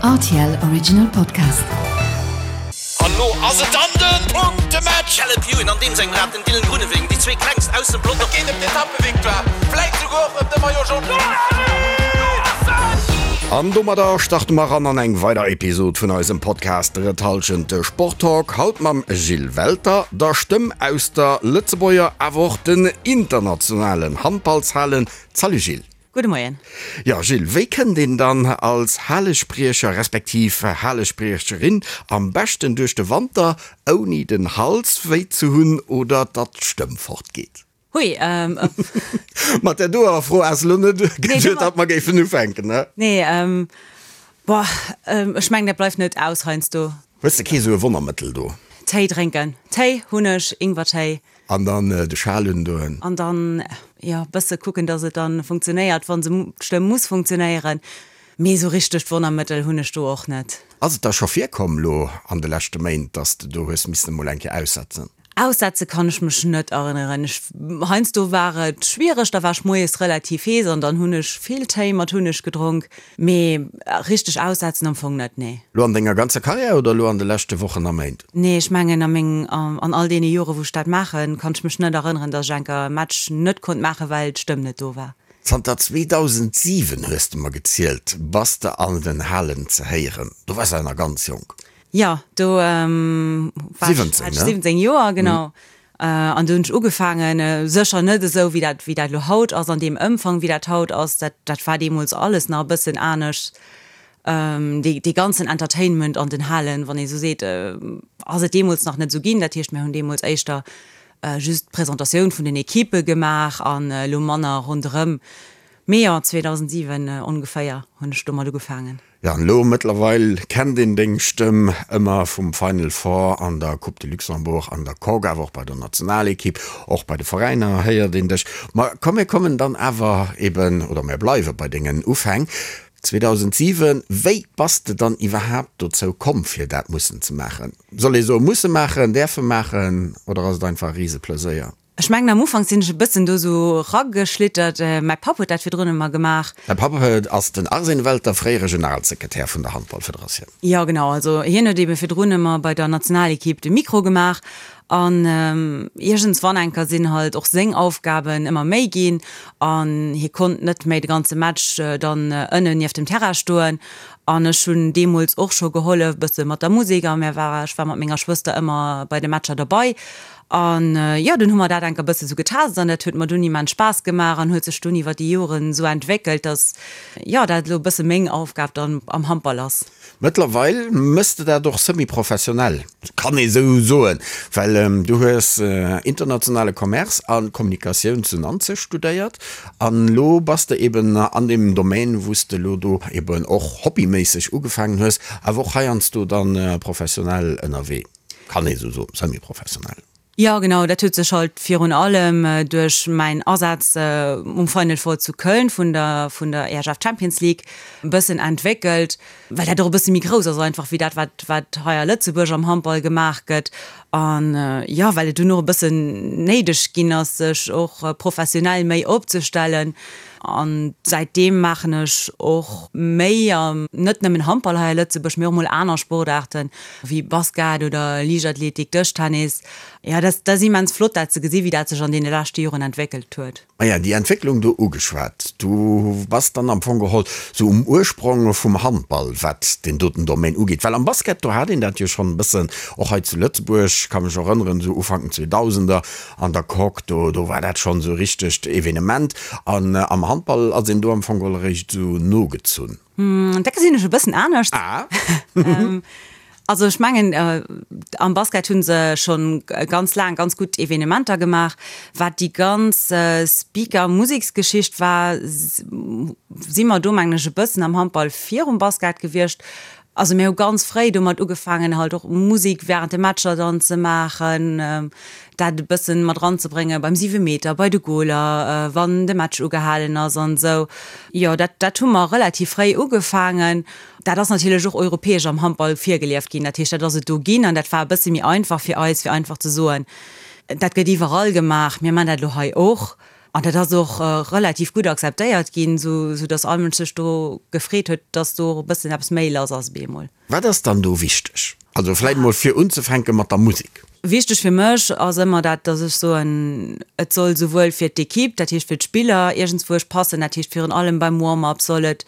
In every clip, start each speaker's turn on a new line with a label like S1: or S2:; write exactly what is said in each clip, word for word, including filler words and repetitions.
S1: R T L Original Podcast.
S2: An lo ass et dann den Punktematch!
S3: Caleb Ewan an deem sengem Rad, den Dylan Groenewegen, déi zwee klengst aus dem Pelotong.
S2: Et geet ëm d'Etappevictoire, vläit souguer och ëm de Maillot Jaune.
S4: An domadder starte mer eran an eng weider Episod vun eisem Podcast Drëtt Hallschent, de Sporttalk. Haut mam Gilles Welter, der Stëmm aus der Lëtzebuerger, awer och den internationalen Handballshalen. Salut Gilles.
S5: Gudde Moien.
S4: Jo Gilles, wéi kënnt een dann als Halespriecher respektiv Halespriecherin am beschten duerch de Wanter, ouni den Hals wéi ze hunn oder datt d'Stëmm fortgeet?
S5: Hui, ähm,
S4: Mat där doer Fro has de lo net
S5: Nee,
S4: geduet, datt mer géifen ufänken, ne?
S5: Nee, ähm, boah, ähm, ech mengen, dat bleift net aus heiansdo.
S4: Hues de kee sou e Wonnermëttel do?
S5: Téi drénken. Téi, Hunneg, Ingwertéi.
S4: An dann de Schal undoen.
S5: An dann, jo, bësse kucken, dass et dann funktionéiert, wa se, d'Stëmm muss funktionéieren. Mee sou richtegt Wonnermëttel hunn ech do och net.
S4: Ass et da scho virkomm lo an de leschte Méint, dass de do hues missen emol eng Kéier aussetzen?
S5: Aussetze kann ech mech net erënneren. Ech, heiansdo war et schwiereg, da war ech moies relativ hees an dann hunn ech vill Téi mat Hunneg gedronk. Mee richteg aussetzen am Fong net, nee.
S4: Lo an denger ganzer Karriär oder lo an de leschte Wochen a Méint?
S5: Nee, ech mengen a meng, an all deene Jore wou ech dat maachen, kann ech mech net erënneren, datt ech enker e Match net konnt maachen, well d'Stëmm net do war.
S4: Zanter zweedausendsiwen hues de mer gezielt, bass de an den Halen ze héieren. Do waars de nach ganz jonk.
S5: Jo, do war ech, hat ech siwwenzéng Joer, genau. An do hunn ech ugefaangen, sécher net esou wéi dat, wéi dat elo haut ass, an deem Ëmfang wéi dat haut ass. Dat, dat war deemools alles nach e bëssen anescht. Dee, dee ganzen Entertainment an den Halen, wann ee sou seet, ass et deemools nach net esou ginn. Dat heescht, mir hunn deemools éischter just d'Presentatioun vun den Ekippe gemaach an elo manner ronderëm. Mee jo, zweedausendsiwen ongeféier hunn ech domat ugefaangen.
S4: Jo, an elo mëttlerweil kennt een deng Stëmm ëmmer vum Final Four an der Coupe de Luxembourg, an der Coque, awer och bei der Nationalekipp, och bei de Veräiner héiert een dech. Ma komm, mir kommen dann awer eben, oder mir bleiwe bei dengen Ufäng. zweedausendsiwen, wéi bass de dann iwwerhaapt dozou komm, fir dat mussen ze maachen? Soll ee soe musse maachen, däerfe maachen oder ass et einfach e Riseplëséier?
S5: Ech mengen am Ufank sinn ech e bëssen do sou rageschlittert. Mäi Papp huet dat virdrun ëmmer gemaach.
S4: Däi Papp ass den Arsène Welter, fréiere Generalsekretär vun der Handballfederatioun.
S5: Jo genau, also hien huet ebe virdrun ëmmer bei der Nationalekipp de Mikro gemaach an iergendswann enker sinn halt och seng Aufgaben ëmmer méi ginn an hie konnt net méi de ganze Match dann ënnen nieft dem Terrain stoen. An ech hunn deemools och scho gehollef bësse mat der Musek a mir war, ech war mat menger Schwëster ëmmer bei de Matcher derbei. An jo, dunn hu mer dat enker bësse sou getest an dat huet mer dunn immens Spaass gemaach an huet sech dunn iwwer déi Joren sou entwéckelt, dass jo dat elo e bësse meng Aufgab dann am Handball ass.
S4: Mëttlerweil mëss de dat och semi-professionell, kann ee sou soen, well du hues internationale Commerce a Kommunikatioun zu Nanzeg studéiert an elo bass de eben an deem Domaine, wou s de elo do eben och hobbyméisseg ugefaangen hues, awer och heiansdo dann professionell ënnerwee, kann ee sou soen, semi-professionell.
S5: Jo genau, dat huet sech halt virun allem duerch mäin Asaz um Final Four zu Köln vun der vun der E H F Champions League e bëssen entwéckelt, well dat och e bësse méi grouss ass einfach wéi dat wat wat hei a Lëtzebuerg am Handball gemaach gëtt. An jo, well et dunn och e bëssen néideg ginn ass, sech och professionell méi opzestellen. An säitdeem maachen ech och méi, net nëmmen Handball hei a Lëtzebuerg, mee och mol aner Sportaarten, wéi Basket oder Liichtathletik, Dëschtennis. Jo, dat ass immens flott, dat ze gesi wéi dat sech an deene leschte Joren entwéckelt huet.
S4: Maja, déi Entwécklung do ugeschwat. Du bass dann am Fong geholl sou um Ursprong vum Handball, wat deen doten Domaine ugeet. Well am Basket, do hat een dat jo schonn e bëssen, och hei zu Lëtzebuerg, ka mech erënneren, sou Ufank den Zweedausender an der Coque, do, do war dat schonn sou e richtegt Evenement. An am Handball ass een do am Fong geholl eréischt esou nogezunn.
S5: Dat gesinn ech e bëssen anescht.
S4: Ah.
S5: Also ech mengen, am Basket hu se scho ganz laang ganz gutt Evenementer gemaach. Wat déi ganz Speaker-Museksgeschicht war, si mer do mengen ech e bëssen am Handball virum Basket gewiescht. Also mir hu ganz fréi domat ugefaangen halt och Musek während de Matcher dann ze maachen, dat e bëssen mat eranzebréngen beim Siwemeter, bei de Goaler, wann de Match ugehalen ass an esou. Jo, dat dat hu mer relativ fréi ugefaangen. Dat ass natierlech och europäesch am Handball virgelieft ginn. Dat heescht, dat ass et do ginn an dat war e bësse méi einfach fir eis, fir einfach ze soen, dat gëtt iwwerall gemaach, mir man dat elo hei och. An dat ass och relativ gutt akzeptéiert ginn, sou dass all Mënsch sech do gefreet huet, dass do e bëssen eppes méi lass ass op eemol.
S4: Wat ass dann do wichteg? Also vläit mol fir unzefänke mat der Musek.
S5: Wichteg fir mech ass ëmmer dat, dass ech soen, et soll souwuel fir d'Equipe, dat heescht fir d'Spiller iergendswousch passen, dat heescht virun allem beim Warm-up soll et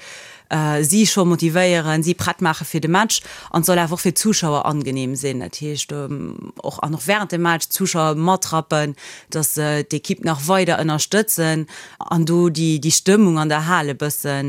S5: si scho motivéieren, si prett maache fir de Match an et soll awer och fir d'Zuschauer angenehm sinn, dat heescht och an och während dem Match d'Zuschauer matrappen, dass se d'Equipe nach weider ënnerstëtzen an do déi déi Stëmmung an der Hal e bësse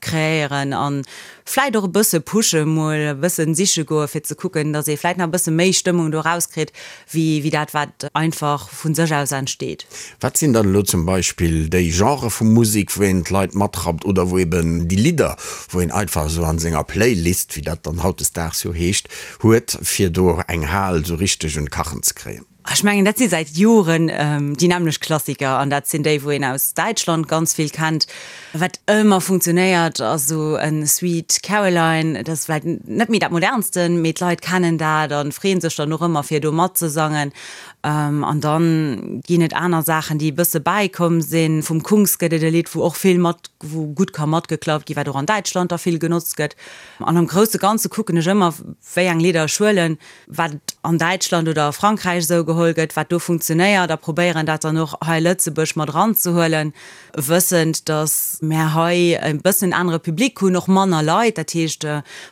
S5: kreéieren an vläit och e bësse pushe mol e bëssen siche goe fir ze kucken, dass ee vläit nach e bësse méi Stëmmung do erauskritt wéi wéi dat wat einfach vu sech aus entsteet.
S4: Wat sinn dann elo zum Beispill déi Genrë vu Musek, wou een d'Leit matrappt oder wou eben déi Lidder, wou een einfach esou an senger Playlist, wéi dat dann hautdesdaags jo heescht, huet, fir do eng Hal esou richteg un d'Kachen ze kréien?
S5: Ech mengen, dat si säit Joren déi nämmlecht Klassiker an dat sinn déi, wou een aus Däitschland ganz vill kennt. Wat ëmmer funktionéiert, ass esou e Sweet Caroline. Dat ass vläicht net méi dat modernsten, mee d'Leit kennen dat a freeën sech dann och ëmmer, fir do matzesangen. An da ginn et aner Saachen, déi e bësse bäikomm sinn. Vum Kungs gëtt et e Lidd, wou och vill mat, wou gutt ka matgeklappt ginn, wat och an Däitschland da vill genotzt gëtt. An am grousse Ganze kucken ech ëmmer, wéi eng Lidder ech huelen, wat an Däitschland oder a Frankräich esou geholl gëtt, wat do funktionéiert, a probéieren dat dann och hei Lëtzebuerg mat eranzehuelen, wëssend, datt mär hei e bëssen anere Public hunn, och manner Leit. Dat heescht,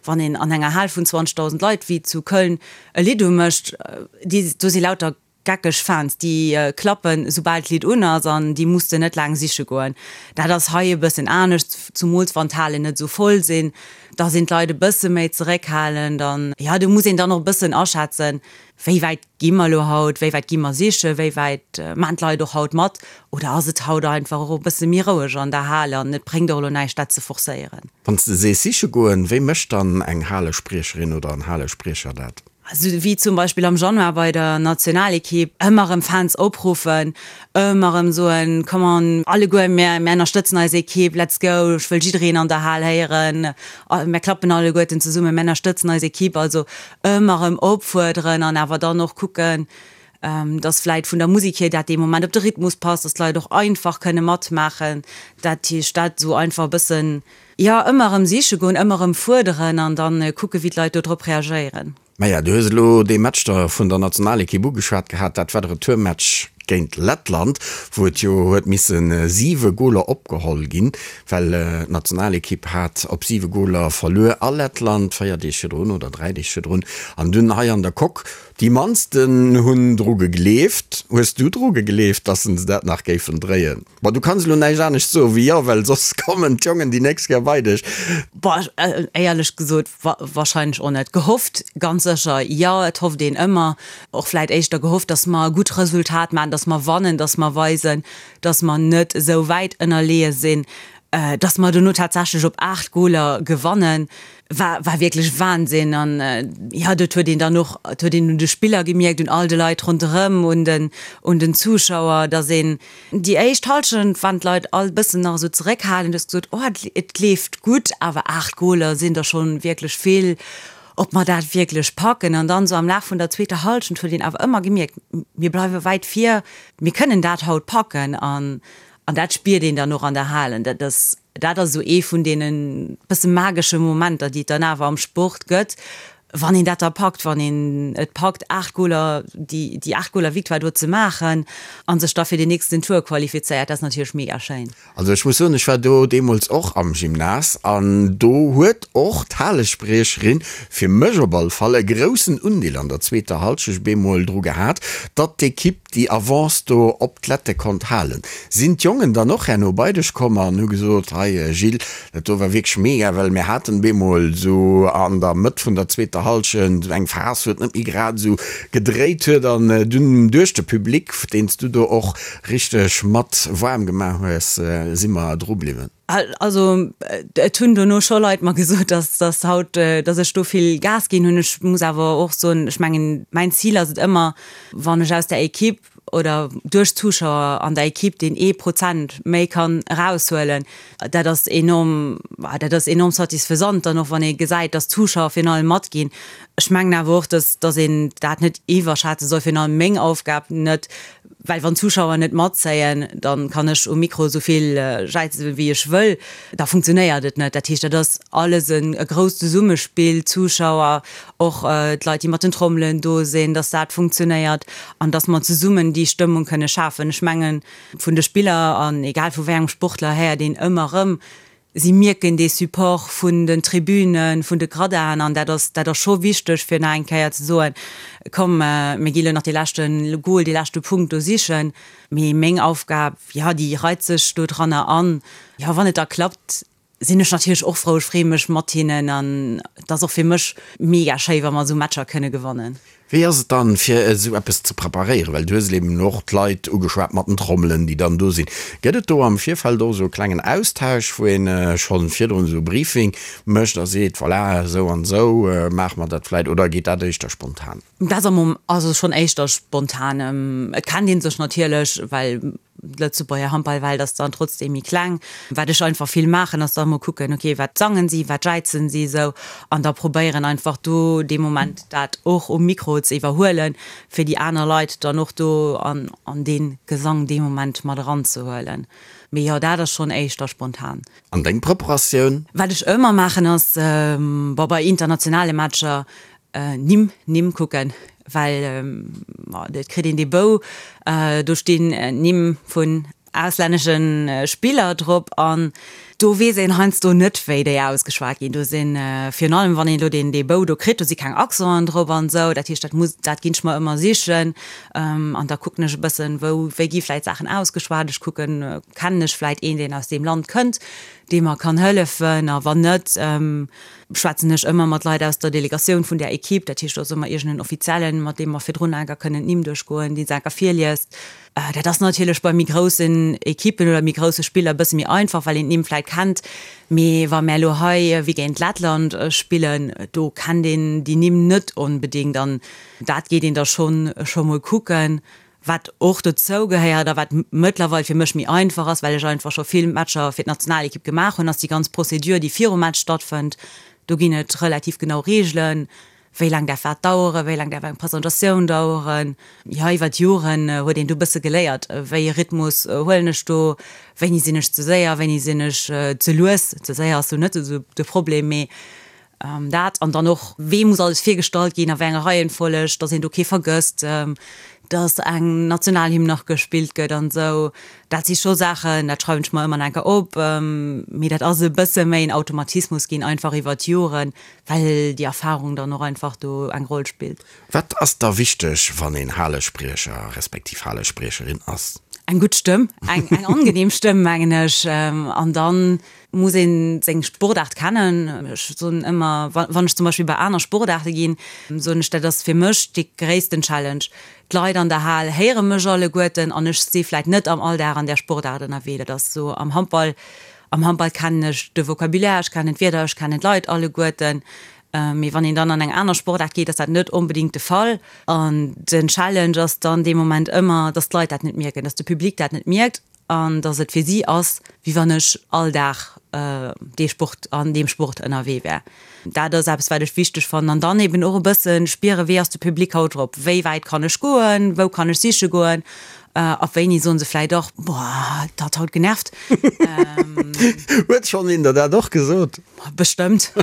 S5: wann een an enger Hal vun zwanzegdausend Leit wéi zu Köln e Lidd umécht, déi, do si lauter geckeg Fans, déi klappen, soubal d'Lidd un ass, an déi muss de net laang siche goen. Dat ass hei e bëssen anescht, zumools wann d'Halen net esou voll sinn, da sinn d'Leit e bësse méi zeréckhalend an, jo, do muss een dann och e bëssen aschätzen, wéi wäit gi mer elo haut, wéi wäit gi mer sichen, wéi wäit maachen d'Leit och haut mat oder ass et haut einfach och e bësse méi roueg an der Hal an et bréngt och elo näischt, dat ze forcéieren.
S4: Wann s de sees siche goen, wéi mécht dann eng Halespriecherin oder en Halespriecher dat?
S5: Esou wéi zum Beispill am Januar bei der Nationalekipp, ëmmer erëm Fans opruffen, ëmmer erëm soen, Come on, alleguer, mär ënnerstëtzen eis Ekipp, let's go, ech wëll jiddereen an der Hal héieren, mär klappen alleguerten zesummen, mär ënnerstëtzen eis Ekipp. Also ëmmer erëm opfuerderen an awer dann och kucken, dass vläit vun der Musek hier dat dee Moment op de Rhythmus passt, dass d'Leit och einfach kënne matmaachen. Dat heescht, dat esou einfach e bëssen, jo, ëmmer erëm siche goen, ëmmer erëm fuerderen an da kucke wéi d'Leit do drop reagéieren.
S4: Maja, du hues elo dee Match da vun der Nationalekipp ugeschwat gehat. Dat war de Retourmatch géint Lettland, wou et jo huet misse siwe Goler opgeholl ginn, well d'Nationalekipp hat op siwe Goler verluer a Lettland véier Deeg virdrun oder dräi Deeg virdrun an dunn hei an der Coque. Déi mannsten hunn dru gegleeft. Hues du dru gegleeft, dass se dat nach géifen dréien? Bon, du kanns elo näischt anescht soe wéi jo, well soss kommen d'Jongen déi nächst Kéier bei dech.
S5: Boah, éierlech gesot, wahrscheinlech och net. Gehofft ganz sécher, jo, et hofft een ëmmer. Och vläit éischter gehofft, dass mer e gutt Resultat maachen, dass mer wannen, dass mer weisen, dass mer net esou wäit ënnerleeë sinn. Dass mer dono tatsächlech op aacht Goler gewannen, war war wierklech Wahnsinn. An jo, dat huet een dann och, dat huet een un de Spiller gemierkt, un all de Leit ronderëm, un den un den Zuschauer, dass een déi éischt Hallschent waren d'Leit all e bëssen nach esou zeréckhalend, du hues gesot, oh et leeft gutt, awer aacht Goler sinn der schonn wierklech vill, ob mer dat wierklech packen. An dann esou am Laf vun der zweeter Hallschent huet een awer ëmmer gemierkt, mir bleiwe wäit vir, mir kënnen dat haut packen. An An dat spiert een dann och an der Hal. An dat ass, dat ass esou ee vun deene bësse magesche Momenter, déi et dann awer am Sport gëtt, wann een dat da packt, wann een et packt, aacht Goler, déi, déi aacht Goler Victoire do ze maachen a sech da fir den nächsten Tour qualifizéiert. Dat ass natierlech mega schéin.
S4: Also ech muss soen, ech war do deemools och am Gymnase an do huet och d'Halespriecherin fir mech op all Fall e groussen Undeel an der zweeter Halschecht bemol dru gehat, datt d'Ekipp déi Avance do op d'Lette konnt halen. Sinn d'Jongen dann och herno bei dech komm an hu gesot, hei Gilles, dat do war wierklech mega, well mir haten bemol esou an der Mëtt vun der zweeter Hallschent eng Phas, wou et net méi grad esou gedréit huet an dunn duerch de Public, deen s du do och richteg mat waarm gemaach hues, si mer dru bliwwen.
S5: Also et hunn dono scho Leit mer gesot, dass dass haut, dass ech do vill Gas ginn hunn. Ech muss awer och soen, ech mengen, mäin Zil ass et ëmmer, wann ech aus der Equipe oder duerch d'Zuschauer an der Equipe deen ee Prozent méi kann eraushuelen, dat ass enorm, dat ass enorm satisfaisant dann och, wann ee gesäit, dass d'Zuschauer virun allem matginn. Ech mengen awer och, dass dass een dat net iwwerschätze soll, virun allem meng Aufgab net, Well wann d'Zuschauer net matzéien, dann kann ech um Mikro esou vill jäizen wéi ech wëll, da funktionéiert et net. Dat heescht, dat ass alles en e grousst Zesummespill, d'Zuschauer, och d'Leit déi mat den Trommelen do sinn, dass dat funktionéiert an dass mer zesummen déi Stëmmung kënne schafen. Ech mengen, vun de Spiller an egal vu wéi engem Sportler héiert een ëmmer erëm, Si mierken dee Support vun den Tribünen, vun de Gradaen an dat ass, dat ass scho wichteg, fir nach eng Kéier ze soen, Komm, mir gi lo nach dee leschte Gol, dee leschte Punkt do sichen. Mee meng Aufgab, jo, déi reit sech do dranner an. Jo, wann et da klappt, sinn ech natierlech och frou. Ech freeë mech mat hinnen an et ass och fir mech mega schéi, wa mer esou Matcher kënne gewannen.
S4: Wéi ass et dann, fir esou eppes ze preparéieren? Well du hues eben och d'Leit ugeschwat mat den Trommelen, déi dann do sinn. Gëtt et do am Virfeld och esou e klengen Austausch, wou een schonn virdrun esou e Briefing mécht a seet, voilà, esou an esou maache mer dat vläicht, oder geet dat éischter spontan?
S5: Dat ass am, also schonn éischter spontan. Et kennt ee sech natierlech, well D'Lëtzebuerger Handballwelt ass dann trotzdeem méi kleng. Wat ech einfach vill maachen, ass da emol kucken, ok, wat sangen si, wat jäizen si esou, an da probéieren einfach do dee Moment dat och um Mikro ze iwwerhuelen, fir déi aner Leit dann och do an an dee Gesang dee Moment mat eranzehuelen. Mee jo, dat ass schonn éischter spontan.
S4: An deng Preparatioun?
S5: Wat ech ëmmer maachen ass, bon, bei internationale Matcher, Nimm, Nimm kucken, well et kritt een dee Bou, do stinn Nimm vun auslännesche Spiller drop an do weess een heiansdo net, wéi déi ausgeschwat ginn. Do sinn, virun allem wann een elo deen dee Bou do kritt, do si keng Accenten drop an esou. Dat heescht, dat muss, dat ginn ech mer ëmmer sichen an da kucken ech e bëssen, wou, wéi gi vläicht Saachen ausgeschwat. Ech kucken, kennen ech vläicht een, deen aus deem Land kënnt, dee mer kann hëllefen a wann net, schwätzen ech ëmmer mat Leit aus der Delegatioun vun där Equipe, dat heescht, do ass ëmmer iergend en Offiziellen, mat deem mer virdrun enker kënnen d'Nimm duerchgoen, dee se enker virliest. Dat ass natierlech bei méi groussen Equippen oder méi grousse Spiller e bësse méi einfach, well een d'Nimm vläit kennt. Mee wa mär elo hei wéi géint Lettland spillen, do kennt een déi Nimm net onbedéngt an dat geet een da schonn scho mol kucken. Wat och dozou gehéiert a wat mëttlerweil fir mech méi einfach ass, well ech einfach scho vill Matcher fir d'Nationalekipp gemaach hunn, ass déi ganz Procédure, déi virum Match stattfënnt. Do ginn et relativ genau Reegelen, wéi laang däerf wat daueren, wéi laang däerf eng Presentatioun daueren. Jo, iwwer d'Joren huet een do e bësse geléiert, wéi ee Rhythmus huelen ech do, wéini sinn ech ze séier, wéini sinn ech ze lues. Ze séier ass do net esou de Problem, mee Dat an dann och, wee muss alles virgestallt ginn, a wéi enger Reihenfolleg, dass een do kee vergësst, dass eng Nationalhymn nach gespillt gëtt an esou. Dat si scho Saachen, dat schreiwen ech mer ëmmer nach eng Kéier op. Mee dat ass e bësse méi en Automatismus ginn, einfach iwwer d'Joren, well déi Erfahrung dann och einfach do eng Roll spillt.
S4: Wat ass da wichteg, wann een Halespriecher respektiv Halespriecherin ass?
S5: Eng gutt Stëmm, eng angenehm Stëmm, mengen ech. An dann muss ee seng Sportaart kennen. Ech soen ëmmer, wann ech zum Beispill bei aner Sportaarte ginn, soen ech, dat ass fir mech dee gréissten Challenge. D'Leit an der Hal héiere mech alleguerten an ech si vläicht net am Alldag an där Sportaart ënnerwee. Dat ass esou am Handball. Am Handball kennen ech de Vocabulaire, ech kennen d'Wierder, ech kennen d'Leit alleguerten. Mee wann een dann an eng aner Sportaart geet, ass dat net onbedéngt de Fall. An den Challenge ass dann dee Moment ëmmer, dass d'Leit dat net mierken, dass de Public dat net mierkt an dass et fir si ass, wéi wann ech all Dag dee Sport, an deem Sport ënnerwee wär. Dat ass eppes, wat ech wichteg fannen. An dann eben och e bësse spieren, wéi ass de Public haut drop, wéi wäit kann ech goen, wou kann ech siche goen, ab wéini soen se vläicht och, boah, dat haut genervt.
S4: Huet schonn een der dat och gesot?
S5: Bestëmmt.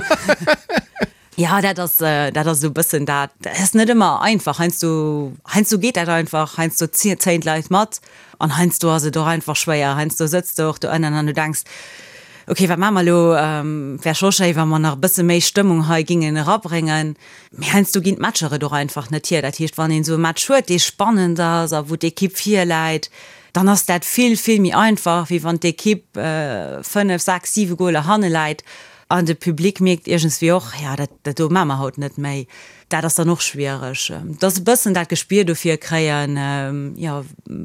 S5: Jo, dat ass, dat ass esou e bëssen dat. Dat ass net ëmmer einfach. Heiansdo, heiansdo geet dat einfach, heiansdo zéien d'Leit mat an heiansdo ass et och einfach schwéier. Heiansdo sëtz de och do ënnen an du denks, ok, wat maache mer elo? Wär scho schéi, wa mer nach e bësse méi Stëmmung hei gingen erabréngen. Mee heiansdo ginn d'Matcher et och einfach net hier. Dat heescht, wann een esou e Match huet, dee spannend ass a wou d'Ekipp virläit, dann ass dat vill, vill méi einfach, wéi wann d'Ekipp fënnef, sechs, siwe Goler hanne läit An de Public mierkt iergendswéi och, jo, dat, dat do maache mer haut net méi. Dat ass dann och schwiereg. Et ass e bëssen dat Gespier dofir kréien, jo,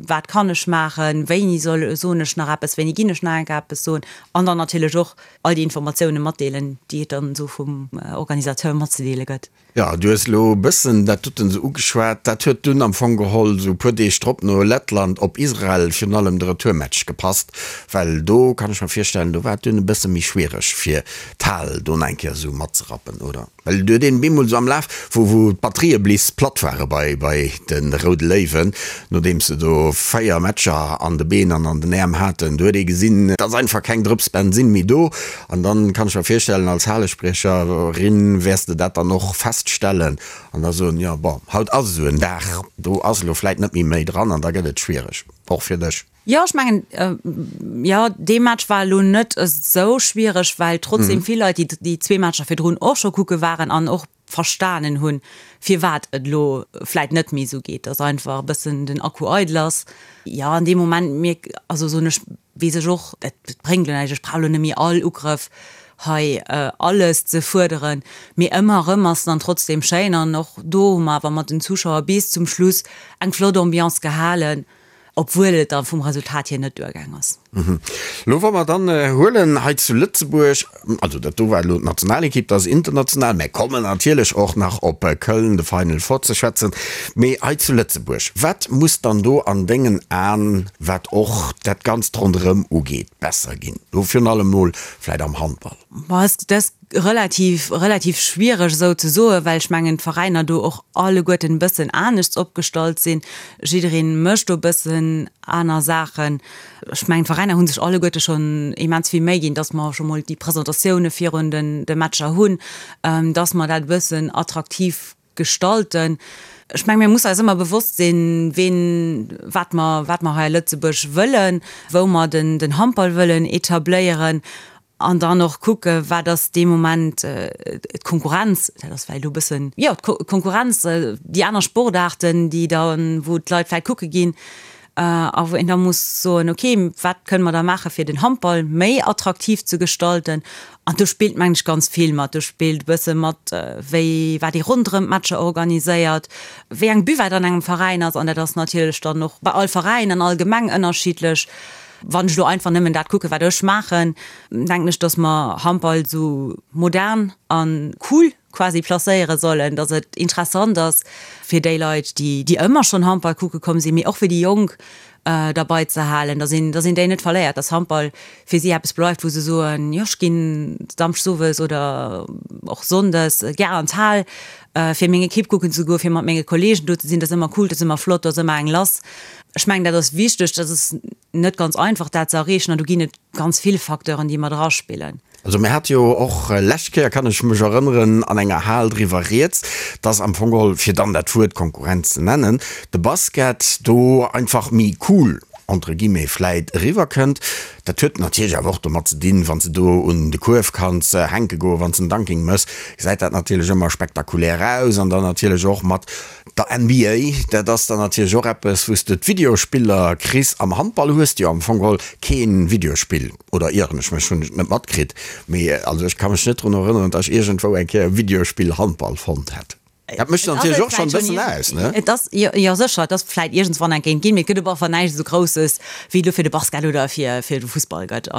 S5: wat kann ech maachen, wéini soll, soen ech nach eppes, wéini ginn ech nach eng Kéier eppes soen. An dann natierlech och all déi Informatioune matdeelen, déi et dann esou vum Organisateur matzedeele gëtt.
S4: Jo, du hues elo e bëssen dat doten esou ugeschwat. Dat huet dunn am Fong geholl esou e puer Deeg drop no Lettland op Israel virun allem de Retourmatch gepasst, well do kann ech mer virstellen, do war et dunn e bësse méi schwiereg fir d'Hal do nach eng Kéier esou matzerappen, oder? Well et huet een bemol esou am Laf, wou wou d'Batterië bliss platt ware bei bei de Roude Léiwen, nodeems se do véier Matcher an de Been an an den Äerm haten, do huet ee gesinn, et ass einfach keng Drëps Bensinn méi do. An dann kann ech mer virstellen, als Halespriecherin wäers de dat dann och feststellen an da soen, jo bon, haut ass esou en Dag, do ass elo vläit net méi méi dran an da gëtt et schwiereg, och fir dech.
S5: Jo, ech mengen, jo, dee Match war elo net esou schwiereg, well trotzdem vill Leit déi déi zwee Matcher virdrun och scho kucke waren an och verstanen hunn, firwat et elo vläit net méi esou geet, dass einfach e bëssen den Akku eidel ass. Jo, an deem Moment mierk, also soen ech, weess ech och, et bréngt elo näischt, ech brauch elo net méi all Ugrëff hei alles ze fuerderen, mee ëmmer erëm ass dann trotzdem schéin an och do hu mer awer mat den Zuschauer bis zum Schluss eng flott Ambiance gehalen. Obwuel et da vum Resultat hier net duergaang ass.
S4: Elo wa mer dann huelen hei zu Lëtzebuerg, also dat do war elo d'Nationalekipp, dat ass international, mä kommen natierlech och nach op Köln, de Final Four ze schwätzen, mee hei zu Lëtzebuerg, wat muss dann do an dengen Aen, wat och dat Ganzt ronderëm ugeet, besser ginn? Elo virun allem mol vläit am Handball.
S5: Bon, dat ass relativ, relativ schwiereg esou ze soen, well ech mengen d'Veräiner do och alleguerten e bëssen aneschts opgestallt sinn. Jidderee mécht do e bëssen aner Saachen. Ech mengen d'Veräiner hu sech alleguerte schonn immens vill Méi ginn, dass mer scho mol déi Presentatioune virun den de Matcher hunn, dass mer dat e bëssen attraktiv gestalten. Ech menge mir musse eis ëmmer bewosst sinn, ween, wat mer, wat mer hei a Lëtzebuerg wëllen, wou mer den den Handball wëllen etabléieren. An dann och kucke wat ass dee Moment d'Konkurrenz, dat ass vläicht elo e bëssen, jo, d'Konkurrenz, déi aner Sportaarten, déi da wou d'Leit vläicht kucke ginn a wou een da muss soen, okay, wat kënne mer da maache fir den Handball méi attraktiv ze gestalten. An do spillt mengen ech ganz vill mat. Do spillt e bësse mat, wéi wat ee ronderëm d'Matcher organiséiert, wéi eng Buvette an engem Veräin ass. An dat ass natierlech dann och bei all Veräin an all Gemeng ënnerschiddlech. Wann ech elo einfach nëmmen dat kucken, wat ech maachen, denken ech, dass mer Handball esou modern a cool quasi placéiere sollen, dass et interessant ass fir déi Leit, déi, déi ëmmer schonn Handball kucke komm sinn, mee och fir déi Jonk derbei ze halen, dass een, dass een déi net verléiert, dass Handball fir si eppes bleift, wou se soen, jo, ech ginn samschdes owes oder och sonndes gär an d'Hal, fir meng Ekipp kucken ze goen, fir mat menge Kolleegen do ze sinn. Dat ass ëmmer cool, dat ass ëmmer flott, do ass ëmmer eng lass. Ech mengen, dat ass wichteg. Dat ass net ganz einfach, dat ze erreechen an do ginn et ganz vill Facteuren, déi mat eraspillen.
S4: Also mir hate jo och lescht Kéier, kann ech mech erënneren, an enger Hal driwwer rieds, dass am Fong geholl, fir dann dat Wuert Konkurrenz ze nennen, de Basket do einfach méi cool, entre guillemets, vläit eriwwerkënnt. Dat huet natierlech awer och domat ze dinn, wann s de do un de Kuerf kanns hänke goen, wann s de en Dunking méchs, gesäit dat natierlech ëmmer spektakulär aus an dann natierlech och mat der N B A, dat ass dann natierlech och eppes, wou s de d'Videospiller kriss. Am Handball hues de jo am Fong geholl kee Videospill, oder ieren ech mech, hunn ech et net matkritt, mee also ech ka mech net drun erënneren, datt ech iergendwou eng Kéier e Videospill Handball fonnt hätt. Dat mécht natierlech och schonn e bëssen aus, ne?
S5: Et ass, jo, jo sécher, et ass vläit iergendswann eng Kéint ginn, mee et gëtt op alle Fall näischt esou Grousses, wéi et elo fir de Basket oder fir, fir de Fussball gëtt.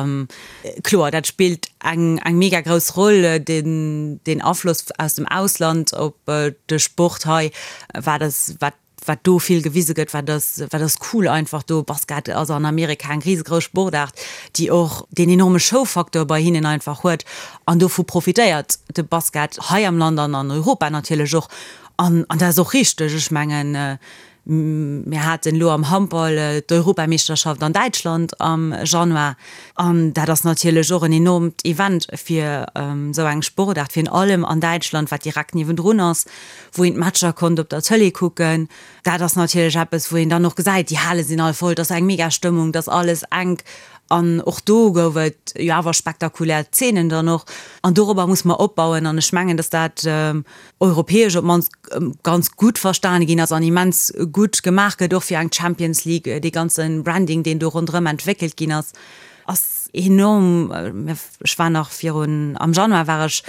S5: Kloer, dat spillt eng, eng mega grouss Roll, den, den Afloss aus dem Ausland op de Sport hei, wat ass, wat wat do vill gewise gëtt, wat ass, wat ass cool einfach do. Basket ass an Amerika eng risegrouss Sportaart, déi och deen enorme Showfacteur bei hinnen einfach huet an dovu profitéiert de Basket hei am Land an an Europa natierlech och. An, an dat ass och richteg. Ech mengen, mir haten elo am Handball d'Europameeschterschaft an Däitschland am Januar an dat ass natierlech och en enormt Event fir esou eng Sportaart, virun allem an Däitschland, wat direkt niewendrun ass, wou een d'Matcher konnt op der Tëlee kucken. Dat ass natierlech eppes, wou een dann och gesäit, déi Hale sinn all voll, et ass eng mega Stëmmung, et ass alles enk. An och do gouf et jo awer spektakulär Zeenen dann och. An dorobber muss mer opbauen. An ech mengen, datt dat europäesch op d'mannst ganz gutt verstane ginn ass an immens gutt gemaach gëtt, och fir eng Champions League. Dee ganze Branding, deen do ronderëm entwéckelt ginn ass, ass enorm. Ech war nach virun, am Januar war ech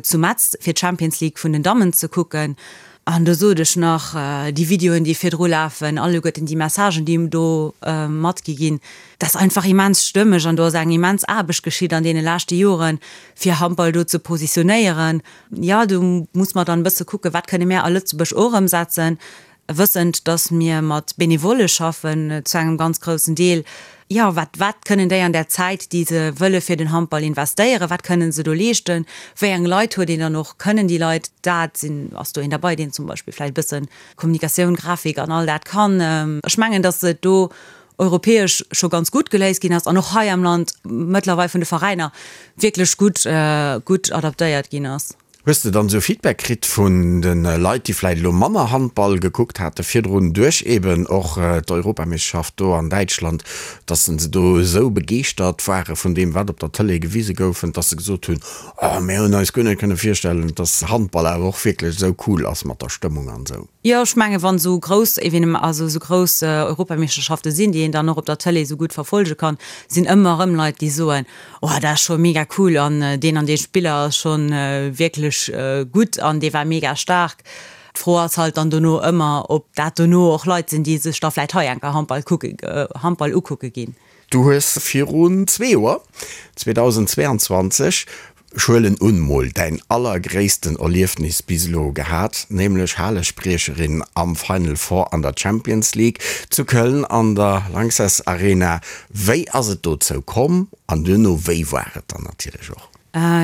S5: zu Metz, fir d'Champions League vun den Dammen ze kucken. An do sot ech nach, déi Videoen, déi virdru lafen, alleguerten déi Messagen, déi do matgi ginn, dat ass einfach immens stëmmeg an do ass eng immens Aarbecht geschitt an deene leschte Joren, fir Handball do ze positionéieren. Jo, do muss mer dann e bësse kucken, wat kënne mir a Lëtzebuerg och ëmsetzen, wëssend, datt mir mat Benevolle schaffen zu engem ganz groussen Deel. Jo, wat, wat kënnen déi an där Zäit, déi se wëlle fir den Handball investéieren, wat kënnen se do leeschten, wéi eng Leit huet een dann och, kënnen déi Leit dat, sinn, ass do een derbei, deen zum Beispill vläicht e bësse Kommunikatioun, Grafik an all dat kann. Ech mengen, datt et do europäesch scho ganz gutt geléist ginn ass an och hei am Land mëttlerweil vun de Veräiner wierklech gutt, gutt adaptéiert ginn ass.
S4: Hues de dann esou Feedback kritt vun de Leit, déi vläit elo manner Handball gekuckt hate virdrun, duerch eben och d'Europameeschterschaft do an Däitschland, dass se do esou begeeschtert ware vun deem, wat op der Tëlee gewise goufen, dass se gesot hunn, Oh, mir hunn eis guer net kënne virstellen, dass Handball awer och wierklech esou cool ass mat der Stëmmung an esou?
S5: Jo, ech menge wann esou grouss Evenem-, also esou grouss Europameeschterschafte sinn, déi een dann och op der Tëlee esou gutt verfollege kann, sinn ëmmer erëm Leit, déi soen, Oh, dat ass scho mega cool an deen an dee Spiller ass scho wierklech gutt an dee war mega staark. D'Fro ass halt dann dono ëmmer, ob dat dono och Leit sinn, déi sech da vläicht hei enker Handball kucke, Handball ukucke ginn.
S4: Du hues virun zwee Joer, zweedausendzweeanzwanzeg, ech huelen un, mol däin allergréissten Erliefnis bis elo gehat, nämlech Halespriecherin am Final Four an der Champions League zu Köln an der Lanxess Arena. Wéi ass et dozou komm an duerno wéi war et dann natierlech och?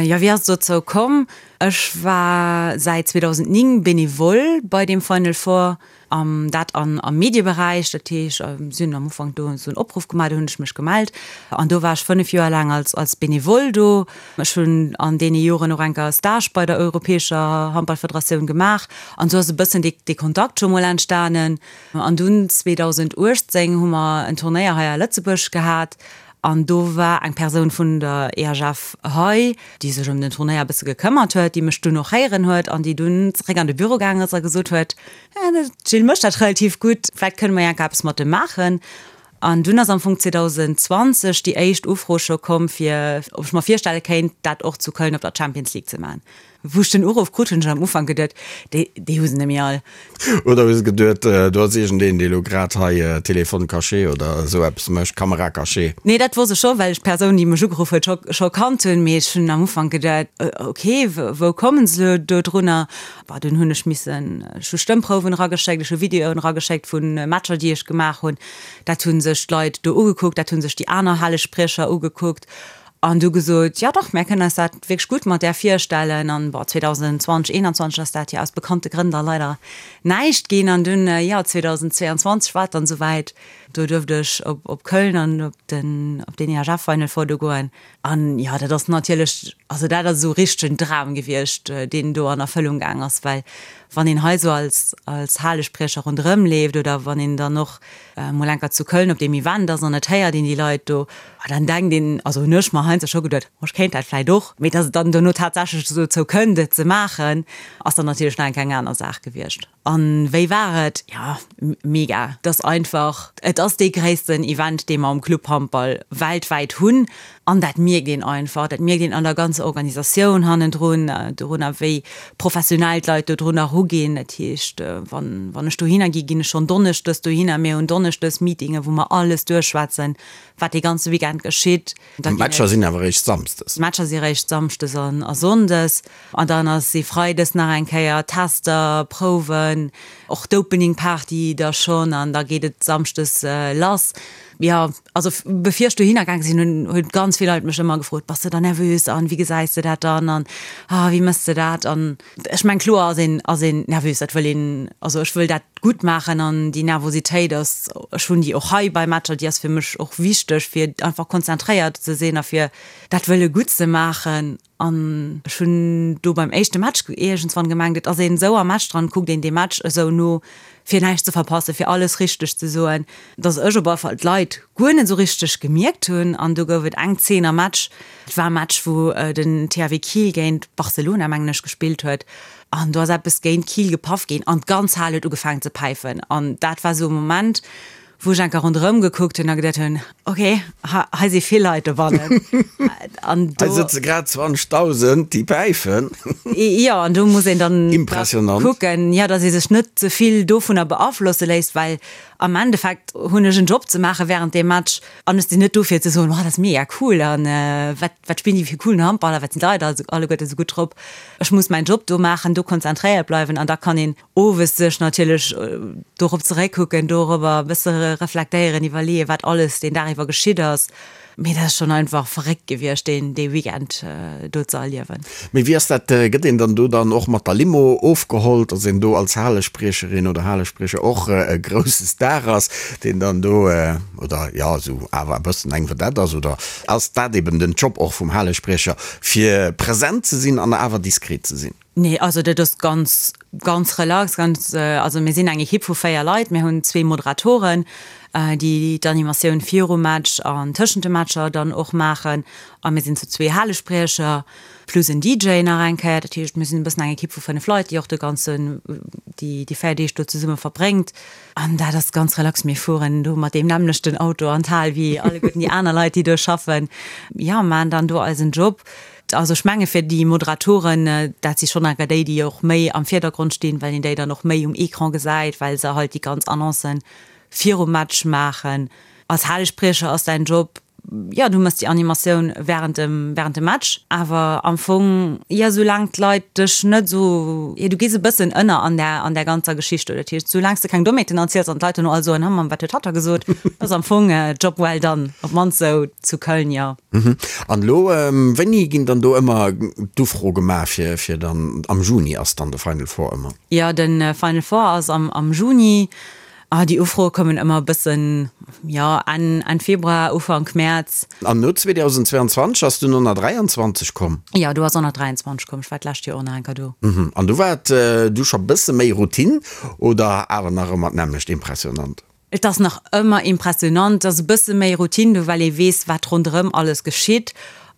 S5: Jo, wéi ass et dozou komm? Ech war säit zweedausendnéng Benevole bei deem Final Four. An dat an am Medieberäich, dat heescht, si hunn am Ufank do esou en Opruff gemaach, do hunn ech mech gemellt an do war ech fënnef Joer laang als als Benevole do. Ech hunn an deene Joren och enker e Stage bei der europäescher Handballfederatioun gemaach an esou ass e bëssen dee dee Kontakt scho mol entstanen. An dunn zweedausenduechtzéng hu mer en Turnéier hei a Lëtzebuerg gehat An do war eng Persoun vun der E H F hei, déi sech ëm den Turnéier e bësse gekëmmert huet, déi mech dunn och héieren huet an déi dunn zeréck an de Büro gaangen ass a gesot huet, De Gilles mécht dat relativ gutt, vläicht kënne mer jo enker eppes mat em maachen. An dunn ass am Fong zweedausendzwanzeg déi éischt Ufro scho komm, fir ob ech mer virstelle kéint, dat och zu Köln op der Champions League ze maachen. Wou ech den Uruff krut, hunn ech am Ufank geduet, déi, déi hu se net méi all.
S4: Oder hues geduet, do ass iergendeen, dee lo grad hei Téléphone caché oder esou eppes mécht, Caméra cachée.
S5: Nee, dat wosst ech scho, well ech d'Persoun, déi mech ugeruff huet, scho, scho kannt hunn. Mee ech hunn am Ufank geduet, ok, wou kommen se elo dodrunner? Bah, dunn hunn ech missen, ech hu Stëmmprouwen erageschéckt, ech hu Videoen erageschéckt vu Matcher, déi ech gemaach hunn. Dat hu sech d'Leit do ugekuckt, dat hu sech déi aner Halespriecher ugekuckt. An du gesot, jo dach, mär kënnen eis dat wierklech gutt mat där virstellen. An bon, zweedausendzwanzeg, eenanzwanzeg ass dat jo aus bekannte Grënn da leider näischt ginn. An dunn, jo, zweedausendzweeanzwanzeg war et dann esouwäit, do duerft ech op, op Köln an op den, op den E H F Final Four do goen. An jo, dat ass natierlech, also dat ass esou richtegen Dram gewiescht, deen do an Erfëllung gaang ass, well wann een hei esou als, als Halespriecher ronderëm leeft oder wann een dann och mol enker zu Köln op deem Event ass an et héiert een déi Leit do, dann denkt een, also hunn ech mer heiansdo scho geduet, oh ech kéint dat vläicht och, mee dass et dann dono tatsächlech dozou kënnt et ze maachen, ass dann natierlech nach enker eng aner Saach gewiescht. An wéi war et? Jo, mega. Et ass einfach, et ass dee gréissten Event, dee mer am Clubhandball weltwäit hunn. An dat mierkt een einfach. Dat mierkt een an der ganzer Organisatioun hannendrun, dorunner wéi professionell d'Leit dodrunner eruginn. Dat heescht, wann, wann ech dohinner ginn, ginn ech schonn donneschdes dohinner. Mir hunn donneschdes Meetinge wou mer alles duerchschwätzen, wat dee ganze Weekend geschitt.
S4: Da ginn D'Matcher et. sinn awer eréischt samsdes.
S5: D'Matcher si eréischt samschdes an a sonndes. An dann ass e freides nach eng Kéier Tester, Prouwen, och d'Opening Party da schonn an da geet et samschdes lass. Jo, also bevir ech dohinner gaange sinn, hunn hunn ganz vill Leit mech ëmmer gefrot, Bass de da nervös an wéi gesäis de dat dann an ah wéi méchs de dat? An ech meng kloer ass een ass een nervös, dat wëll een, also ech wëll dat gutt maachen an déi Nervositéit ass, ech hunn déi och hei bei Matcher, déi ass fir mech och wichteg fir einfach konzentréiert ze sinn a fir dat wëlle gutt ze maachen. An ech hunn do beim éischte Match iergendswann gemengt, et ass een esou am Match dran, kuckt een dee Match esou no, fir näischt ze verpassen, fir alles richteg ze soen, dass ech op alle Fall d'Leit guer net esou richteg gemierkt hunn. An do gouf et eng Zeen am Match, et war e Match, wou den T H W Kiel géint Barcelona, mengen ech, gespillt huet, an do ass eppes géint Kiel gepaff ginn an d'ganz Hal huet ugefaangen ze päifen. An dat war esou e Moment, wou ech enker ronderëm gekuckt hunn a geduet hunn, ok, hei si vill Leit dobannen.
S4: An do. Hei sëtze grad zwanzegdausend, déi päifen.
S5: Jo, an do muss een dann
S4: Impressionant.
S5: kucken, jo, datt ee sech net ze vill dovunner beaflosse léisst, well Am Endeffekt hunn ech en Job ze maache wärend deem Match an ech sinn net do fir ze soen, oh dat ass mega cool an wat wat spillen déi fir coolen Handball a wat sinn d'Leit also alleguerte sou gutt drop. Ech muss mäin Job do maachen, do konzentréiert bleiwen an da kann een owes sech natierlech dorop zeréckkucken, dorobber e bësse reflektéieren, iwwerleeën, wat alles deen Dag iwwer geschitt ass. Mee dat ass schonn einfach verréckt gewiescht, deen dee Weekend do ze erliewen.
S4: Mee wéi ass dat, gëtt een dann do dann och mat der Limo ofgeholl, dass een do als Halespriecherin oder Halespriecher och e grousse Star ass, deen dann do, oder jo, esou awer e bëssen eng Vedette ass? Oder ass dat eben den Job och vum Halespriecher, fir present ze sinn an awer diskret ze sinn?
S5: Nee, also dat ass ganz, ganz relax, ganz, also mir sinn eng Ekipp vu véier Leit, mir hunn zwee Moderatoren, déi d'Animatioun virum Match an tëschent de Matcher dann och maachen a mir sinn zu zwee Halespriecher plus en D J nach eng Kéier. Dat heescht, mir sinn e bëssen eng Ekipp vu fënnef Leit, déi och de ganzen, déi déi véier Deeg do zesumme verbréngt an dat ass ganz relax. Mir fueren do mat deem nämmlechten Auto an d'Hal wéi alleguerten déi aner Leit, déi do schaffen. Jo, maachen dann do eisen Job. Also ech menge fir déi Moderatoren, dat si schonn enker déi, déi och méi am Virdergrond stinn, well een déi dann och méi um Ecran gesäit, well se halt déi ganz Annoncen virum Match maachen. Als Halespriecher ass däin Job, jo, du méchs déi Animatioun wärend dem, wärend dem Match, awer am Fong, jo, soulaang d'Leit dech net esou, jo, du gees e bëssen ënner an där, an där ganzer Geschicht do. Dat heescht, soulaang s de keng Dommheeten erziels an d'Leit duerno all soen, Hm, wat huet hatt da gesot, ass am Fong Job well done, op d'mannst esou zu Köln, jo.
S4: An elo, wéini ginn dann do ëmmer d'Ufro gemaach fir, fir dann, am Juni ass dann de Final Four ëmmer?
S5: Jo, de Final Four ass am, am Juni. Ah, déi Ufroe kommen ëmmer e bëssen, jo, Enn, Enn Februar, Ufank Mäerz.
S4: An no zweedausendzweianzwanzeg ass dunn honnertdräianzwanzeg komm?
S5: Jo, do ass honnertdräianzwanzeg komm. Ech war d'lescht Joer och nach eng Kéier do.
S4: An do war et du scho bësse méi Routine oder awer nach ëmmer d'nämmlecht impressionant?
S5: Et ass nach ëmmer impressionant. Et ass e bësse méi Routine do, well ee weess, wat ronderëm alles geschitt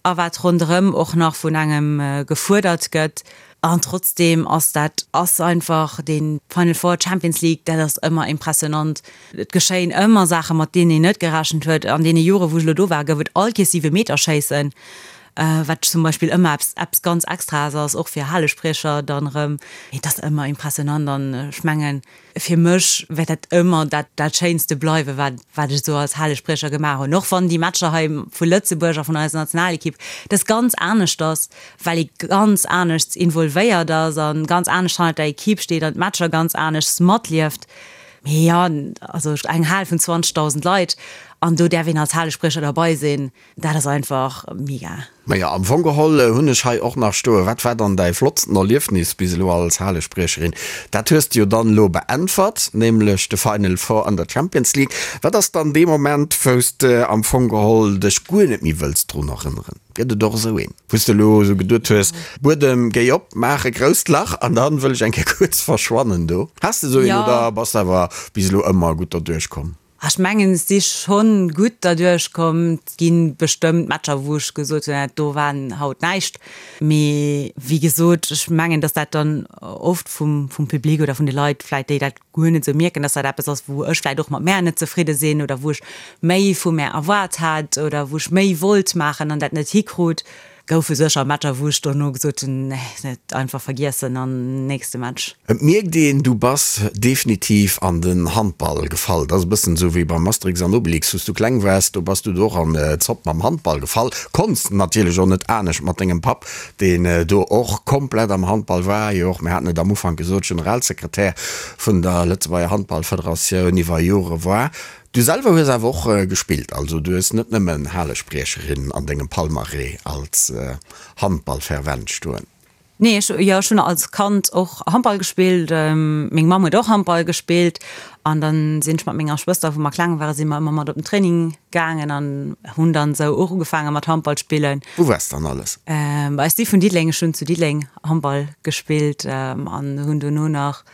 S5: a wat ronderëm och nach vun engem gefuerdert gëtt. An trotzdeem ass dat ass einfach dee Final Four, Champions League, dat ass ëmmer impressionant. Et geschéien ëmmer Saachen, mat deenen een net gerechent huet. An deene Jore wou ech elo do war, gouf et all Kees Siwemeterschéissen, wat zum Beispill ëmmer eppes eppes ganz Extraes ass, och fir Halespriecher dann erëm. Et ass ëmmer impressionant an ech mengen, fir mech wäert dat ëmmer dat dat Schéinste bleiwen, wat wat ech esou als Halespriecher gemaach hunn. Och wann déi Matcher hei vu Lëtzebuerg a vun eiser Nationalekipp dat ganz anescht ass, well ee ganz aneschts involvéiert ass a ganz anescht hannert der Ekipp steet an d'Matcher ganz aneschts matlieft. Mee jo, also eng Hal vun zwanzegdausend Leit an do däerf een als Halespriecher derbei sinn, dat ass einfach mega.
S4: Majo, am Fong geholl hunn ech hei och nach stoen, Wat war dann däi flottsten Erliefnis bis elo als Halespriecherin? Dat hues de jo dann elo beäntwert, nämlech de Final Four an der Champions League. Wat ass dann dee Moment, wou s de am Fong geholl dech guer net méi wëlls drun erënneren? Gëtt et och esou een, wou s de elo esou geduet hues, Buedem, géi op, maach e grousst Lach an dann wëll ech eng Kéier kuerz verschwannen do? Has de esou een oder bass de awer bis elo ëmmer gutt derduerch komm?
S5: Ech mengen, ech si schonn gutt derduerch komm. Et gi bestëmmt Matcher, wou ech gesot hunn, dat do war haut näischt. Mee wéi gesot, ech mengen, datt dat dann oft vum Public oder vun de Leit vläicht, déi dat guer net esou mierken, datt dat eppes ass, wou ech vläicht och mat mär net zefridde sinn oder wou ech méi vu mär erwaart hat oder wou ech méi wollt maachen an dat net hikrut. Goufe sécher Matcher, wou ech dono gesot hunn, nee, net einfach vergiessen an nächste Match.
S4: Et mierkt een, du bass definitiv an den Handball gefall. Dat ass e bëssen esou wéi beim Asterix an Obelix, wou s du kleng waars, do bass du do och an d'Zopp mam Handball gefall. Konns natierlech och net anescht mat dengem Papp, deen do och komplett am Handball war, jo och, mir haten et am Ufank gesot, Generalsekretär vun der Lëtzebuerger Handballfederatioun iwwer Jore war. Du selwer hues awer och gespillt, also du hues net nëmmen Halespriecherin an dengem Palmarès als Handballfervent stoen.
S5: Nee, ech, jo, ech hunn als Kand och Handball gespillt. Meng Mamm huet och Handball gespillt an dann sinn ech mat menger Schwëster, wou mer kleng waren, si mer ëmmer mat op den Training gaangen an hunn dann esou och ugefaange mat Handball spillen.
S4: Wou waars dann alles?
S5: Ech si vun Diddeleng, ech hunn zu Diddeleng Handball gespillt an hunn dono nach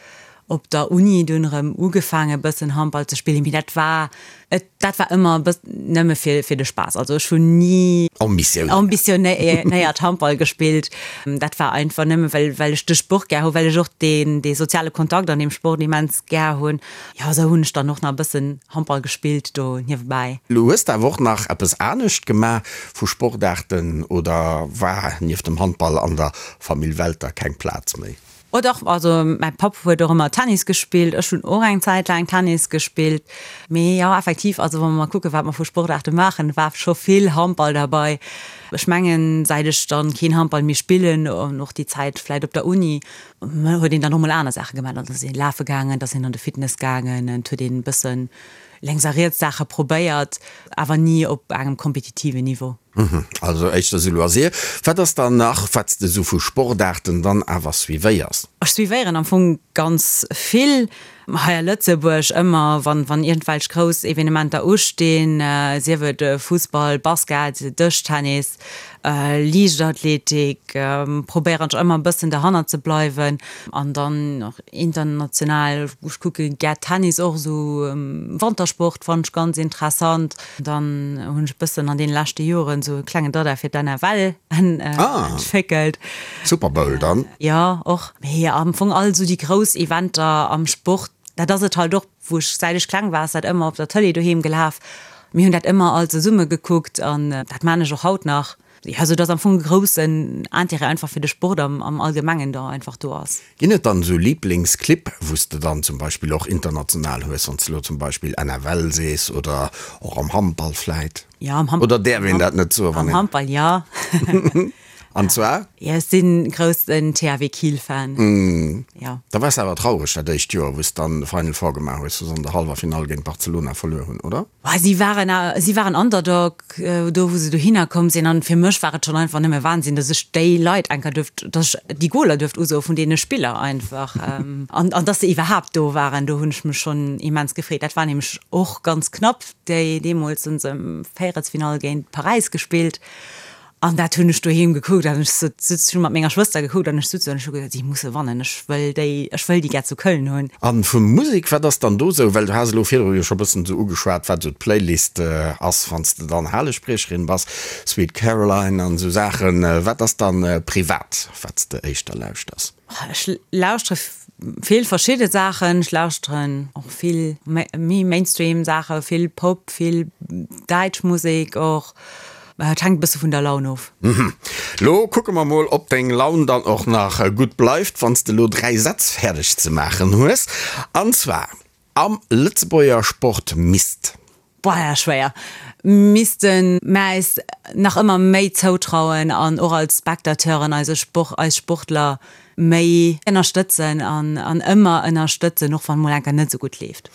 S5: op der Uni dunn erëm ugefaange bëssen Handball ze spillen, mee dat war et dat war ëmmer e bëss nëmme fir fir de Spaass. Also ech hunn ni ambitionéiert Handball gespillt. Dat war einfach nëmme well well ech de Sport gär hunn, well ech och deen dee soziale Kontakt an deem Sport immens gär hunn. Jo, esou hunn ech dann och nach e bëssen Handball gespillt do niewebäi.
S4: Lo hues de awer och nach eppes anescht gemaach vu Sportaarten oder war nieft dem Handball an der Famill Welter keng Plaz méi?
S5: Oh dach, also mäi Papp huet och ëmmer Tennis gespillt, ech hunn och eng Zäit laang Tennis gespillt. Mee jo, effektiv, also wa mer mol kucken, wat mer vu Sportaarte maachen, war scho vill Handball derbei. Ech mengen, säit ech dann keen Handball méi spillen an och déi Zäit vläit op der Uni, huet een dann och mol aner Saache gemaach. Dann ass een lafe gaangen, da ass een an de Fitness gaangen, et huet een e bëssen lénks a riets Saache probéiert, awer ni op engem kompetitiven Niveau.
S4: Also éischter sou Loisir. Wat ass dann nach, wat s de sou vu Sportaarten dann awer suivéiers?
S5: Ech suivéieren am Fong ganz vill hei a Lëtzebuerg, ëmmer wann wann iergendwelch grouss Evenementer ustinn, sief et Fussball, Basket, Dëschtennis, Liichtathletik, probéieren ech ëmmer e bëssen derhannert ze bleiwen. An dann och international, ech kucke gär Tennis och, esou Wantersport fannen ech ganz interessant. Dann hunn ech e bëssen an deene leschte Joren esou e klengen Dada fir d'NFL entwéckelt.
S4: Super Bowl dann?
S5: Jo, och. Mee am Fong all esou déi grouss Eventer am Sport, dat ass et halt och, wou ech, säit ech kleng war, ass dat ëmmer op der Tëlee doheem gelaf. Mir hunn dat ëmmer all zesumme gekuckt an dat maan ech och haut nach. Jo, sou dass am Fong e groussen Intérêt einfach fir de Sport am am Allgemengen da einfach do ass.
S4: Ginn et dann esou Liblingsclibb, wou s de dann zum Beispill och international hues, wann s de elo zum Beispill NFL sees oder och am Handball vläit?
S5: Jo, am Handball.
S4: Oder däerf een dat net soen, wann
S5: een. Am Handball, jo.
S4: An zwar?
S5: Jo, ech sinn groussen THW Kiel Fan. Jo.
S4: Da waars de awer traureg dat éischt Joer, wou s de dann de Final Four gemaach hues, wou se an der hallwer Finall géint Barcelona verluer hunn, oder?
S5: Bah, si waren, si waren Underdog do wou se dohinner komm sinn an fir mech war et schonn einfach nëmme Wahnsinn, dass ech déi Leit enker duerft, dass ech déi Goler duerft usoe vun deene Spiller einfach an an dass se iwwerhaapt do waren, do hunn ech mech schonn immens gefreet. Dat war nämlech och ganz knapp, déi deemools hunn se Véierelsfinall géint Paräis gespillt. An dat hunn ech doheem gekuckt an ech sot, hu mat menger Schwëster gekuckt an ech sot an ech hu gesot, si musse wannen, ech wëll déi, ech wëll déi gär zu Köln hunn.
S4: An vu Musek, wat ass dann do sou, well du has elo virdru jo scho bëssen sou ugeschwat, wat sou d'Playlist ass, wann s de dann Halespriecherin bass, Sweet Caroline an sou Saachen. Wat ass dann privat, wat s de éischter lauschters?
S5: Ech lauschtere vill verschidde Saachen. Ech lauschteren och vill méi Mainstream Saachen, vill Pop, vill däitsch Musek och. Et hänkt e bësse vun der Laun of.
S4: Lo kucke mer mol, ob deng Laun dann och nach gutt bleift, wann s de lo dräi Sätz fäerdeg ze maachen hues. An zwar, Am Lëtzebuerger Sport misst.
S5: Boah, dat ass schwéier. Misste mer eis nach ëmmer méi zoutrauen an och als Spectateuren eise Sport, eis Sportler méi ënnerstëtzen an an ëmmer ënnerstëtzen, och wann mol enker net esou gutt leeft.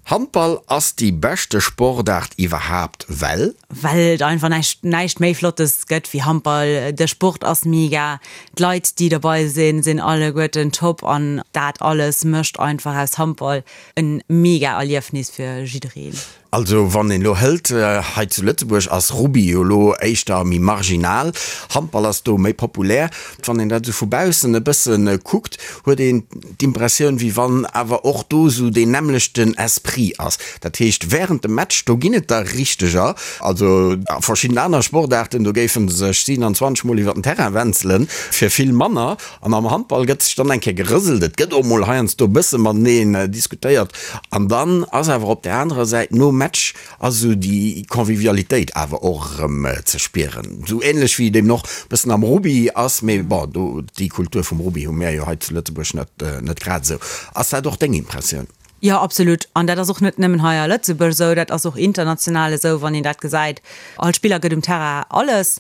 S4: Handball ass déi beschte Sportaart iwwerhaapt, well.
S5: Well et einfach näischt näischt méi Flottes gëtt wéi Handball. De Sport ass mega, d'Leit déi dobei sinn, sinn alleguerten top an dat alles mécht einfach aus Handball en mega Erliefnis fir jiddereen.
S4: Also wann een elo hëlt, hei zu Lëtzebuerg ass Rugby jo elo éischter méi marginal, Handball ass do méi populär. Wann een dat esou vu baussen e bësse kuckt, huet een d'Impressioun, wéi wann awer och do esou deen nämmlechten Esprit ass. Dat heescht, wärend dem Match, do ginn et der richteger, also a verschidden aner Sportaarten, do géife sech siewenundzwanzeg Mol iwwer den Terrain wenzelen, fir vill manner. An am Handball gëtt sech dann eng Kéier gerëselt, et gëtt och mol heiansdo e bësse mateneen diskutéiert an dann ass awer op där anerer Säit nom Match ass esou déi Convivialitéit awer och erëm ze spieren. Esou änlech wéi et eben och e bëssen am Rugby ass, mee bon, do déi Kultur vum Rugby hu mär jo hei zu Lëtzebuerg net, net grad esou. Ass dat och deng Impressioun?
S5: Jo, absolut. An dat ass och net nëmmen hei a Lëtzebuerg esou, dat ass och international esou, wann een dat gesäit. All Spiller gëtt um Terrain alles.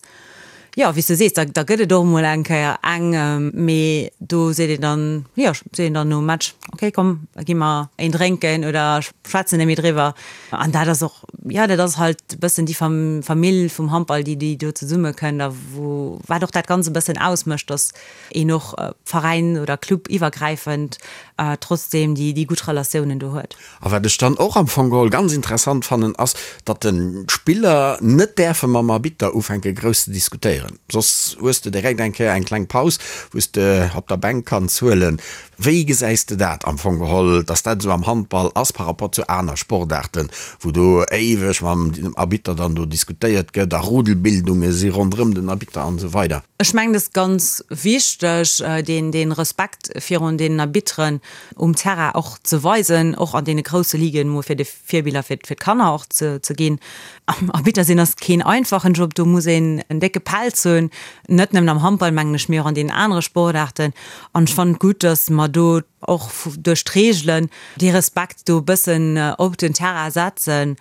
S5: Jo, wéi s de sees, da da gëtt et och emol eng Kéier eng, mee do seet een dann, jo, seet een dann nom Match, okay, komm, da gi mer een drénken oder schwätzen net méi driwwer. An dat ass och, jo, dat ass halt e bëssen déi Famill vum Handball, déi déi do zesummekënnt a wou, wat och dat Ganzt e bëssen ausmécht, datt een och Veräin oder Club iwwergräifend trotzdeem déi déi gutt Relatiounen do huet.
S4: A wat ech dann och am Fong geholl ganz interessant fannen, ass, datt de Spiller net däerfe mam Arbitter ufänke grouss ze diskutéieren, soss hues de direkt eng Kéier eng kleng Paus, wou s de op der Bänk kanns huelen. Wéi gesäis de dat am Fong geholl, dass dat esou am Handball ass par rapport zu aner Sportaarten, wou do éiweg mam Arbitter dann do diskutéiert gëtt a Rudelbildunge si ronderëm den Arbitter an esou weider?
S5: Ech mengen, et ass ganz wichteg, deen, dee Respekt virun deenen Arbitteren um Terrain och ze weisen, och an deene grousse Liguen, mol fir de Virbiller fir, fir d'Kanner och ze, ze ginn. Arbitter sinn ass keen einfachen Job, do muss een en décke Pelz hunn, net nëmmen am Handball, mengen ech, mee och an deenen anere Sportaarten. An ech fannen et gutt, dass mer do och duerch d'Reegelen dee Respekt do e bëssen op den Terrain setzen,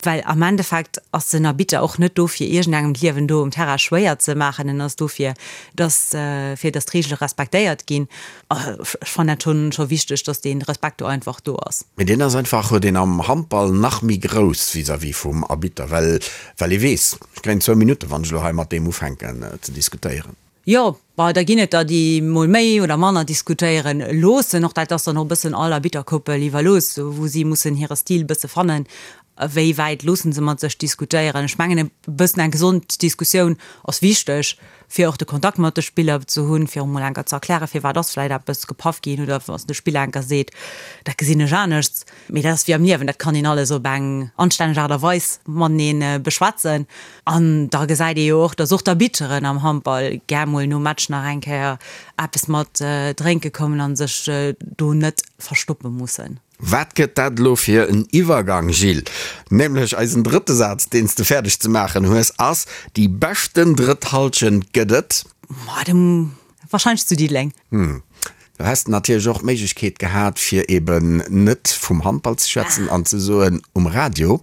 S5: well am Endeffekt ass den Arbitter och net do fir iergendengem d'Liewen do um Terrain schwéier ze maachen, en ass do fir dass fir dass d'Reegele respektéiert ginn. Ech fannen dat schonn scho wichteg, dass dee Respekt do einfach do ass.
S4: Mee deen ass einfach, huet een am Handball nach méi grouss vis-à-vis vum Arbitter, well well ee weess, ech kréien zwou Minutten, wann ech elo hei mat deem ufänken ze diskutéieren.
S5: Jo, bon, da ginn et der, déi mol méi oder manner diskutéiere loossen. Och dat ass dann och e bëssen all Arbitterkoppel iwwerlooss, wou si mussen hire Stil e bësse fannen, wéi wäit loosse se mat sech diskutéieren. Ech mengen, e bëssen eng gesond Diskussioun ass wichteg, fir och de Kontakt mat de Spiller ze hunn, fir och mol enker ze erklären, firwat ass vläicht eppes gepaff ginn oder wann de Spiller enker seet, dat gesinn ech aneschts. Mee dat ass wéi am Liewen, dat kann een alles op eng anstänneg Aart a Weis matenee beschwätzen. An da gesäit ee jo och, datt och d'Arbitteren am Handball gär mol nom Match nach eng Kéier eppes mat drénke kommen a sech do net verstoppe mussen.
S4: Wat gëtt dat elo fir en Iwwergang, Gilles? Nämlech eisen drëtte Saz, deen s de fäerdeg ze maachen hues, ass, Déi beschten drëtt Hallschent gëtt et.
S5: Ma dem wahrscheinlech zu Diddeleng.
S4: Hm. Do häss de natierlech och d'Méiglechkeet gehat, fir eben net vum Handball ze schwätzen an ze soen, um Radio.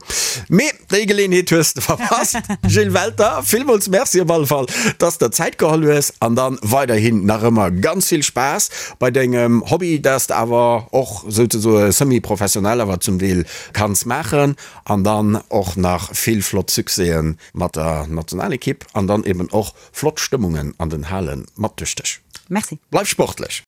S4: Mee déi Geleeënheet hues de verpasst. Gilles Welter, villmools Merci op alle Fall, dass de der Zäit geholl hues an dann weiderhin nach ëmmer ganz vill Spaass bei dengem Hobby, dat s de awer och souzesoe semi-professionell awer zum Deel kanns maachen an dann och nach vill flott Succèsen mat der Nationalekipp an dann eben och flott Stëmmungen an den Hale mat duerch dech.
S5: Merci.
S4: Bleif sportlech!